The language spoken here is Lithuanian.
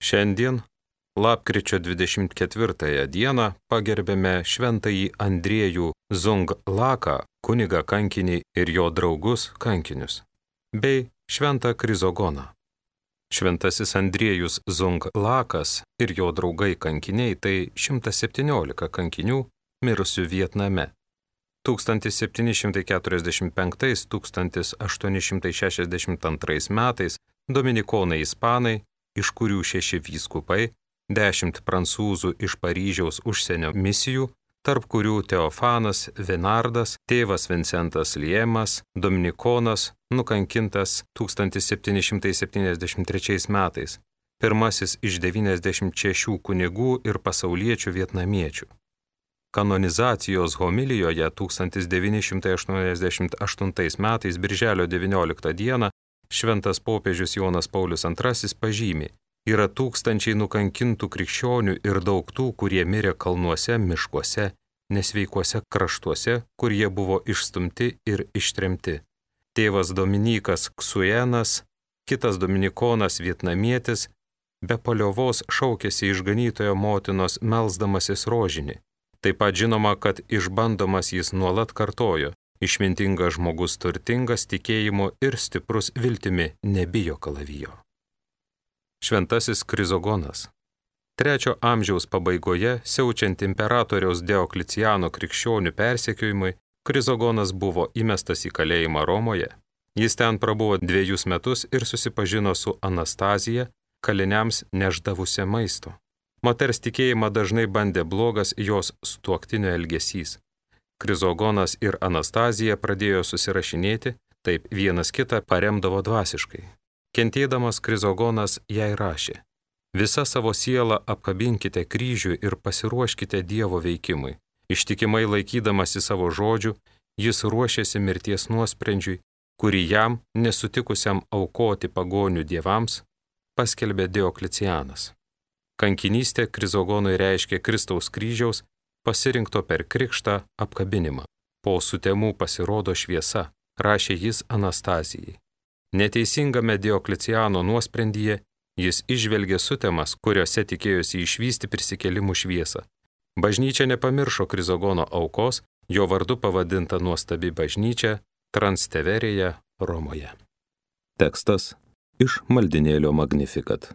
Šiandien, lapkričio 24 dieną, pagerbėme šventąjį Andriejų Zunglaką, kunigą kankinį ir jo draugus kankinius, bei šventą Krizogoną. Šventasis Andriejus Zunglakas ir jo draugai kankiniai tai 117 kankinių mirusių Vietname. 1745–1862 metais dominikonai ispanai, iš kurių 6 vyskupai, 10 prancūzų iš Paryžiaus užsienio misijų, tarp kurių Teofanas Venardas, tėvas Vincentas Liemas, dominikonas, nukankintas 1773 metais, pirmasis iš 96 kunigų ir pasauliečių vietnamiečių. Kanonizacijos homilijoje 1988 metais birželio 19 dieną šventas popiežius Jonas Paulius II pažymi: yra tūkstančiai nukankintų krikščionių ir daug tų, kurie mirė kalnuose, miškuose, nesveikuose kraštuose, kur jie buvo išstumti ir ištremti. Tėvas Dominikas Ksuenas, kitas dominikonas vietnamietis, be paliovos šaukėsi išganytojo motinos melsdamasis rožinį. Taip pat žinoma, kad išbandomas jis nuolat kartojo: išmintingas žmogus turtingas tikėjimu ir stiprus viltimi nebijo kalavijo. Šventasis Krizogonas. 3 amžiaus pabaigoje, siaučiant imperatoriaus Diokliciano krikščionių persekiojimui, Krizogonas buvo įmestas į kalėjimą Romoje. Jis ten prabuvo 2 metus ir susipažino su Anastazija, kaliniams neždavusia maisto. Moters tikėjimą dažnai bandė blogas jos sutuoktinio elgesys. Krizogonas ir Anastazija pradėjo susirašinėti, taip vienas kitą paremdavo dvasiškai. Kentėdamas Krizogonas jai rašė: visa savo sielą apkabinkite kryžių ir pasiruoškite Dievo veikimui. Ištikimai laikydamasi savo žodžių, jis ruošėsi mirties nuosprendžiui, kurį jam, nesutikusiam aukoti pagonių dievams, paskelbė Dioklicianas. Kankinystė Krizogonui reiškia Kristaus kryžiaus, pasirinkto per krikštą apkabinimą. Po sutemų pasirodo šviesa, rašė jis Anastazijai. Neteisingame Diokliciano nuosprendyje jis išvelgė sutemas, kuriuose tikėjosi išvysti prisikėlimų šviesą. Bažnyčia nepamiršo Krizogono aukos, jo vardu pavadinta nuostabi bažnyčia Transteverėje, Romoje. Tekstas iš maldinėlio Magnificat.